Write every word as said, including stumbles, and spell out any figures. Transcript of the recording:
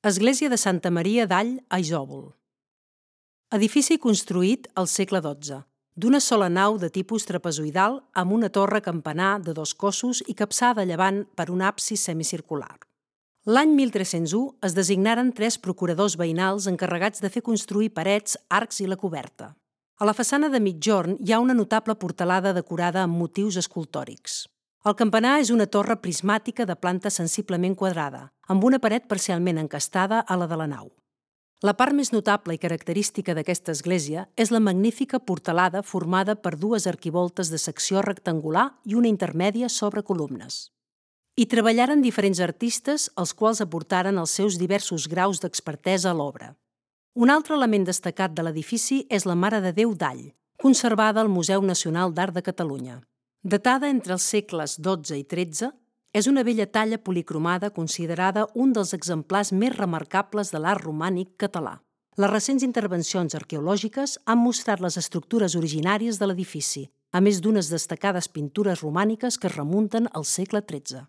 Església de Santa Maria d'All a Isòvol. Edifici construït al segle dotze, d'una sola nau de tipus trapezoidal amb una torre campanar de dos cossos i capçada a llevant per un absis semicircular. L'any mil tres-cents u es designaren tres procuradors veïnals encarregats de fer construir parets, arcs i la coberta. A la façana de migjorn hi ha una notable portalada decorada amb motius escultòrics. El campanar és una torre prismàtica de planta sensiblement quadrada, amb una paret parcialment encastada a la de la nau. La part més notable i característica d'aquesta església és la magnífica portalada formada per dues arquivoltes de secció rectangular i una intermèdia sobre columnes. Hi treballaren diferents artistes, els quals aportaren els seus diversos graus d'expertesa a l'obra. Un altre element destacat de l'edifici és la Mare de Déu d'All, conservada al Museu Nacional d'Art de Catalunya. Datada entre els segles dotze i tretze, és una bella talla policromada considerada un dels exemplars més remarcables de l'art romànic català. Les recents intervencions arqueològiques han mostrat les estructures originàries de l'edifici, a més d'unes destacades pintures romàniques que es remunten al segle tretze.